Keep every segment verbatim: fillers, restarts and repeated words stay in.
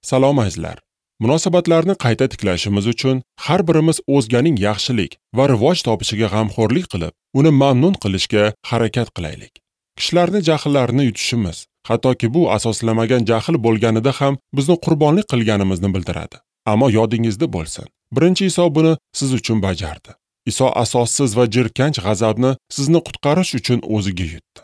Salom azizlar. Munosabatlarni qayta tiklashimiz uchun har birimiz o'zganing yaxshilik va rivoj topishiga g'amxo'rlik qilib, uni mamnun qilishga harakat qilaylik. Kishilarni jahllarini yutishimiz, hattoki bu asoslamagan jahl bo'lganida ham bizni qurbonlik qilganimizni bildiradi. Ammo yodingizda bo'lsin, birinchi Iso buni siz uchun bajardi. Iso asossiz va jirkanch g'azabni sizni qutqarish uchun o'ziga yutdi.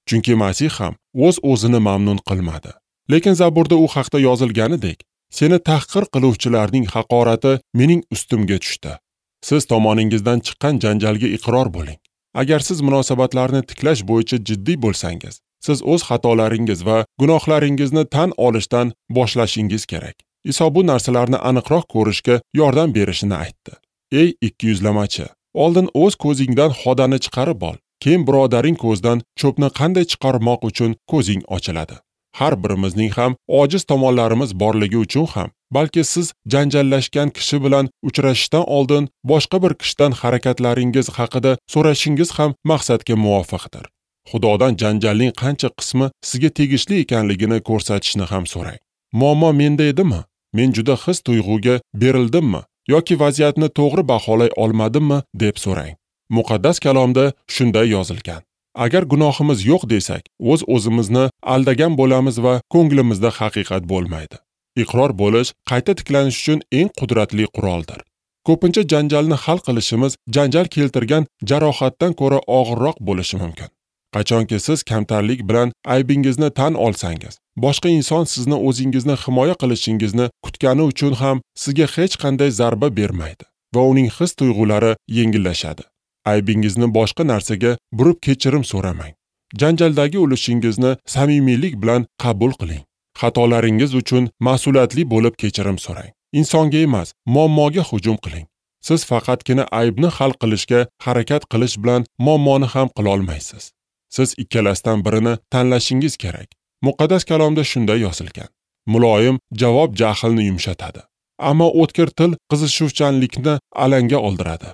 Chunki Masih ham o'z-o'zini mamnun qilmadi. Lekin Zaburda u haqda yozilganidek, seni tahqir qiluvchilarning haqorati mening ustimga tushdi. Siz tomoningizdan chiqqan janjalga iqror bo'ling. Agar siz munosabatlarni tiklash bo'yicha jiddiy bo'lsangiz, siz o'z xatolaringiz va gunohlaringizni tan olishdan boshlashingiz kerak. Iso bu narsalarni aniqroq ko'rishga yordam berishini aytdi. Ey ikkiyuzlamachi, oldin o'z ko'zingdan xodani chiqarib ol, keyin birodaring ko'zdan cho'pni qanday chiqarmoq uchun ko'zing ochiladi. Har birimizning ham ojiz tomonlarimiz borligi uchun ham, balki siz janjallashgan kishi bilan uchrashishdan oldin boshqa bir kishidan harakatlaringiz haqida so'rashingiz ham maqsadga muvofiqdir. Xudodan janjalning qancha qismi sizga tegishli ekanligini ko'rsatishni ham so'rang. Muammo menda edimi? Men juda his tuyg'uga berildimmi yoki vaziyatni to'g'ri baholay olmadimmi deb so'rang. Muqaddas kalomda shunday yozilgan. Agar gunohimiz yo'q desak, o'z o'zimizni aldagan bo'lamiz va ko'nglimizda haqiqat bo'lmaydi. Iqror bo'lish qayta tiklanish uchun eng qudratli quroldir. Ko'pincha janjalni hal qilishimiz janjal keltirgan jarohatdan ko'ra og'irroq bo'lishi mumkin. Qachonki siz kamtarlik bilan aybingizni tan olsangiz, boshqa inson sizni o'zingizni himoya qilishingizni kutgani uchun ham sizga hech qanday zarba bermaydi va uning his tuyg'ulari yengillashadi. Aybingizni boshqa narsaga burib kechirim so'ramang. Janjaldagi ulushingizni samimiylik bilan qabul qiling. Xatolaringiz uchun mas'uliyatli bo'lib kechirim so'rang. Insonga emas, muammoga hujum qiling. Siz faqatgina aybni hal qilishga harakat qilish bilan muammoni ham qila olmaysiz. Siz ikkalasidan birini tanlashingiz kerak. Muqaddas kalomda shunday yozilgan. Muloyim javob jahlni yumshatadi, ammo o'tkir til qizishuvchanlikni alanga oldiradi.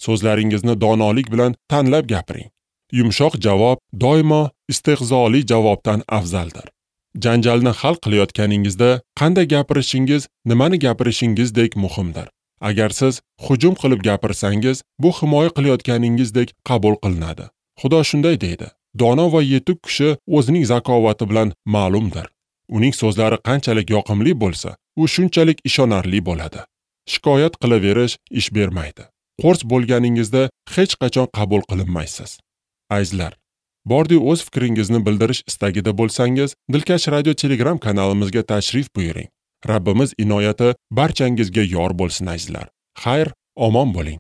So'zlaringizni donolik bilan tanlab gapiring. Yumshoq javob doimo istehzoli javobdan afzaldir. Janjalni hal qilayotganingizda qanday gapirishingiz, nimani gapirishingizdek muhimdir. Agar siz hujum qilib gapirsangiz, bu himoya qilayotganingizdek qabul qilinadi. Xudo shunday deydi: dono va yetuk kishi o'zining zakovati bilan ma'lumdir. Uning so'zlari qanchalik yoqimli bo'lsa, u shunchalik ishonarli bo'ladi. Shikoyat qilaverish ish bermaydi. Qo'rs bo'lganingizda hech qachon qabul qilinmaysiz. Azizlar, bordi o'z fikringizni bildirish istagida bo'lsangiz, Dilkash Radio Telegram kanalimizga tashrif buyuring. Rabbimiz inoyati barchangizga yor bo'lsin azizlar. Xayr, omon bo'ling.